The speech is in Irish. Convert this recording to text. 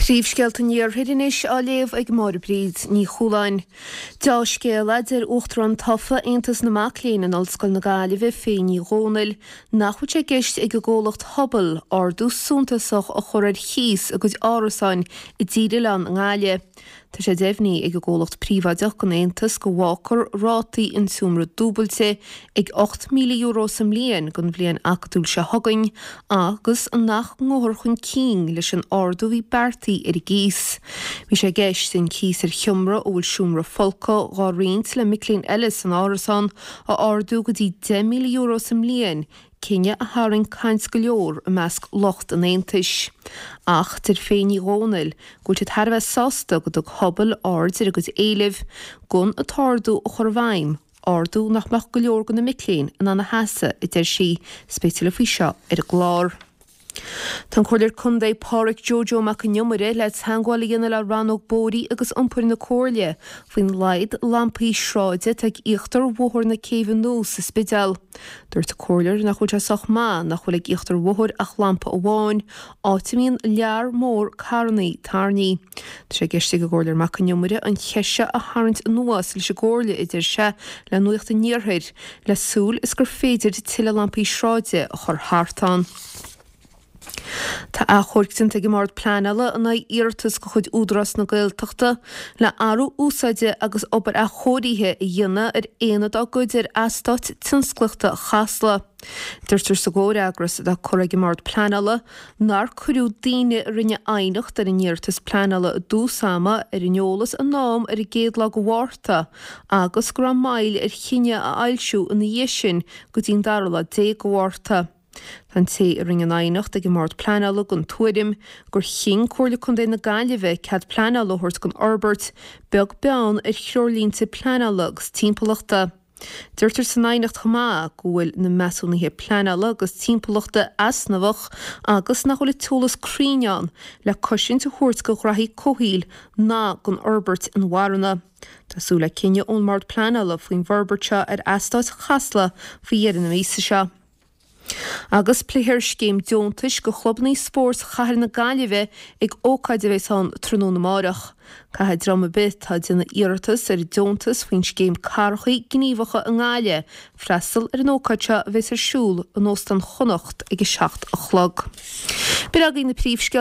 Príomhscéalta an Iarthair anois á léamh ag Máire Bríd Ní Chualáin. Deá-scéal a deir Uachtarán tofa Aontas na Mac Léinn in Ollscoil na Gaillimhe, Faye Ní Dhomhnaill, nach bhfuil sé i gceist ag an gcomhlacht Hubble ardú suntasach a chur ar chíos a gcuid árasáin i dTír Oileáin i nGaillimh. Tá sé deimhnithe ag an gcomhlacht príobháideach don Aontas go bhfágfar rátaí an tseomra dúbailte ag €8,000 sa mbliain don bhliain acadúil seo chugainn agus nach ngabhfar chun cinn leis an ardú a bhí beartaithe ar an gcíos. Bhí sé i gceist an cíos ar sheomra a bhfuil seomra folctha dhá roinnt le mic léinn eile san árasán a ardú go dtí €10,000 sa mbliain cinneadh a tharraing caint go leor i measc lucht an Aontais. Ach deir Faye Ní Dhomhnaill go bhfuil siad thar a bheith sásta go dtug Hubble aird ar a gcuid éilimh gan an t-ardú a chur i bhfeidhm, ardú nach mbeadh go leor de na mic léinn in ann a sheasamh, a deir sí. 'S beidh tuilleadh faoi seo ar an gclár. Tá an Comhairleoir Contae Pádhraic Joe Joe Mac an Iomaire le teagmháil a dhéanamh le Rannóg Bóithre agus Iompair na Comhairle faoin laghad lampaí sráide atá ag íochtar Bhóthar na Céibhe Nua sa Spidéal. Dúirt an Comhairleoir nach bhfuil sé sách maith nach bhfuil ag íochtar an bhóthair ach lampa amháin, áit a mbíonn lear mór carrannaí tairní. Tá sé i gceist ag an gComhairleoir Mac an Iomaire an cheist seo a tharraingt anuas leis an gComhairle, a deir sé le Nuacht an Iarthair, le súil is gur féidir tuilleadh lampaí sráide a chur thart ann. Tá achomharc déanta ag an mBord Pleanála in aghaidh iarratas de chuid Údarás na Gaeltachta le athrú úsáide agus obair athchóirithe a dhéanamh ar aonad dá gcuid ar eastát tionsclaíochta Chasla. Deirtear sa gcomhfhreagras atá curtha ag an mBord Pleanála nár cuireadh daoine a rinne aighneacht ar an iarratas pleanála i dtús ama ar an eolas in am ar an gcéad lá de Mhárta agus go raibh moill ar chinneadh a fhoilsiú ina dhiaidh sin go dtí an dara lá déag de Mhárta. Tá an té a rinne an aighneacht ag an mBord Pleanála den tuairim gur chinn Comhairle Contae na Gaillimhe cead pleanála a thabhairt don fhorbairt, beag beann ar threoirlínte pleanála agus timpeallachta. Deirtear san aighneacht chomh maith go bhfuil na measúnuithe pleanála agus timpeallachta easnamhach agus nach bhfuil an t-eolas cruinn ann le cosaint a thabhairt do ghraithí comhshaoil ná don fhorbairt inmharthana. Tá súil le cinneadh ón mBord Pleanála faoin bhforbairt seo ar eastát Chasla faoi dheireadh na míosa seo. Agus pléifear scéim deontais do chlubanna spóirt chathair na Gaillimhe ag ócáid a bheas ann tráthnóna amárach. Caithfidh dream ar bith atá ag déanamh iarratas ar deontas faoin scéim Cathracha Gníomhacha i nGaillimh freastal ar an ócáid seo a bheas ar siúl in Óstán Chonnacht ag a 7 a chlog. B'in agaibh na príomhscéalta.